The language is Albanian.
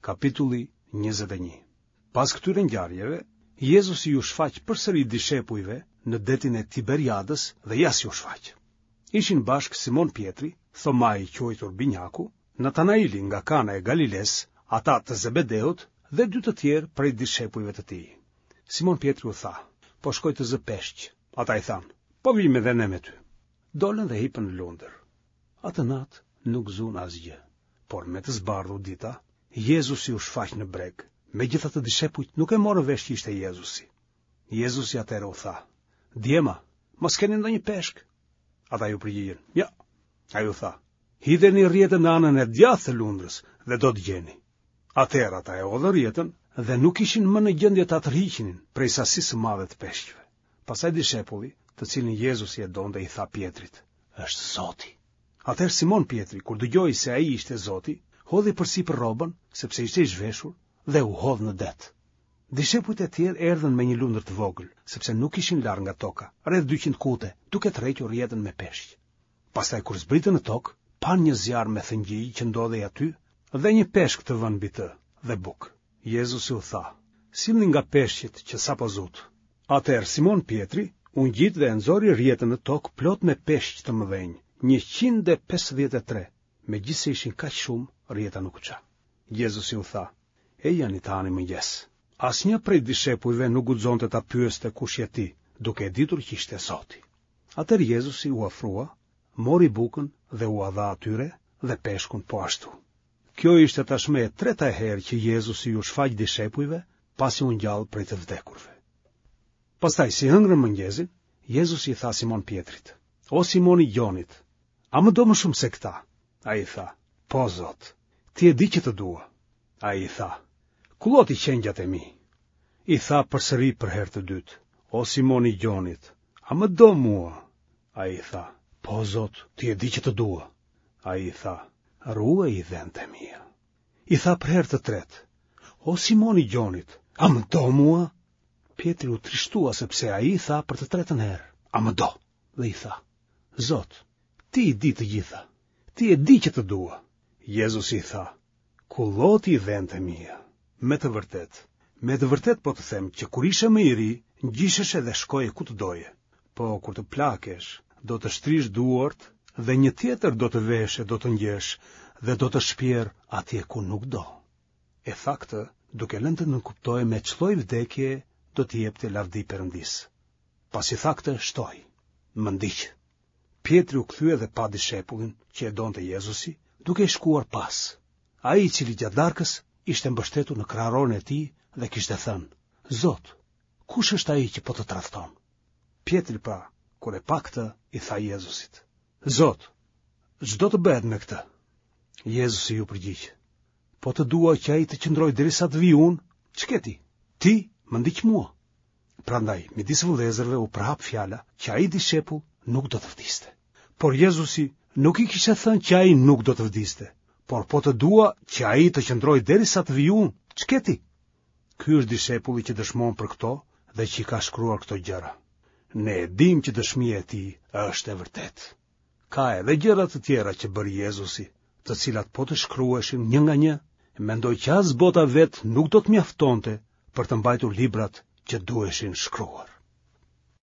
Kapitulli 21. Pas këtyre ngjarjeve, Jezusi iu shfaq përsëri dishepujve në detin e Tiberiadës dhe ja si u shfaq. Ishin bashkë Simon Pjetri, Thomai i quajtur Binjaku, Natanaili nga Kana e Galilesë, ata të Zebedeut dhe dy të tjerë prej dishepujve të tij. Simon Pjetri u tha, po shkoj të zë peshq. Ata i thanë, po vijmë edhe ne me ty. Dolën dhe hipën në lundër. Atë natë nuk zunë asgjë, por me të zbardhur dita, Jezusi u shfaq në breg. Megjithatë dishepujt nuk e morën vesh që ishte Jezusi. Jezusi atëherë u tha, Djema, mos keni ndonjë peshk? Ata iu përgjigjën, Jo. Ai u tha, Hidheni rrjetën në anën e djathtë të lundrës dhe do të gjeni. Atëherë ata e hodhën rrjetën dhe nuk ishin më në gjendje ta tërhiqnin prej sasisë së madhe të peshqve. Pastaj dishepulli, të cilin Jezusi e donte, i tha Pjetrit, "Është Zoti." Atëherë Simon Pjetri, kur dëgjoi se ai ishte Zoti, hodhi përsipër rrobën, sepse ishte i zhveshur, dhe u hodh në det. Dishepujt e tjerë erdhën me një lundër të vogël, sepse nuk ishin larg nga toka, rreth 200 kute, duke tërhequr rrjetën me peshq. Pastaj kur zbritën në tokë, panë një zjarr me thëngjij që ndodhej aty dhe një peshk të vënë mbi të dhe bukë. Jezusi u tha, sillni nga peshqit që sapo zutë. Atëherë Simon Pjetri u ngjit dhe e nxori rrjetën në tokë plot me peshq të mëdhenj, 153, megjithëse ishin kaq shumë, rrjeta nuk u ça. Jezusi u tha, ejani të hani mëngjes. Asnjë prej dishepujve nuk guxonte ta pyeste kush je ti, duke e ditur që ishte Zoti. Atëherë Jezusi u afrua, mori bukën dhe ua dha atyre dhe peshkun po ashtu. Kjo ishte tashmë e treta herë që Jezusi iu shfaq dishepujve pasi u ngjall prej të vdekurve. Pastaj si hëngrën mëngjezin, Jezusi i tha Simon Pjetrit: O Simon i Gjonit, a më do më shumë se këta? Ai i tha: Po Zot, ti e di që të dua. Ai i tha: Kulloti qengjat e mi. I tha përsëri për herë të dytë: O Simon i Gjonit, a më do mua? Ai i tha: Po Zot, ti e di që të dua. Ai i tha: Ruaji dhentë e mia. I tha për herë të tretë: O Simon i Gjonit, a më do mua? Pjetri u trishtua sepse ai i tha për të tretën herë: A më do? Dhe i tha: Zot, ti i di të gjitha. Ti e di që të dua. Jezusi i tha: Kulloti dhentë e mia. Me të vërtetë, me të vërtetë po të them që kur ishe më i ri, ngjisheshe dhe shkoje ku të doje. Po kur të plakesh, do të shtrish duart dhe një tjetër do të veshë e do të ngjeshë dhe do të shpjerë atje ku nuk do. E tha këtë, duke lënë të nënkuptohej me ç'lloj vdekje do t'i jepte lavdi Perëndisë. Pasi tha këtë, shtoi: Më ndiq. Pjetri u kthye dhe pa dishepullin që e donte Jezusi, duke i shkuar pas. Ai i cili gjatë darkës ishte mbështetur në kraharorin e tij dhe kishte thënë: Zot, kush është ai që po të tradhton? Pjetri pra, kur e pa këtë, i tha Jezusit: Zot, ç'do të bëhet me këtë? Jezusi iu përgjigj: Po të dua që ai të qëndrojë derisa të vij unë, ç'ke ti? Ti më ndiq mua. Prandaj, midis vëllezërve u përhap fjala që ai dishepull nuk do të vdiste. Por Jezusi nuk i kishte thënë që ai nuk do të vdiste, por po të dua që ai të qëndrojë derisa të vij unë, ç'ke ti? Ky është dishepulli që dëshmon për këto dhe që i ka shkruar këto gjëra. Ne e dimë që dëshmia e tij është e vërtetë. Ka edhe gjëra të tjera që bëri Jezusi, të cilat po të shkruheshin një nga një, mendoj që as bota vetë nuk do të mjaftonte për të mbajtur librat që duheshin shkruar.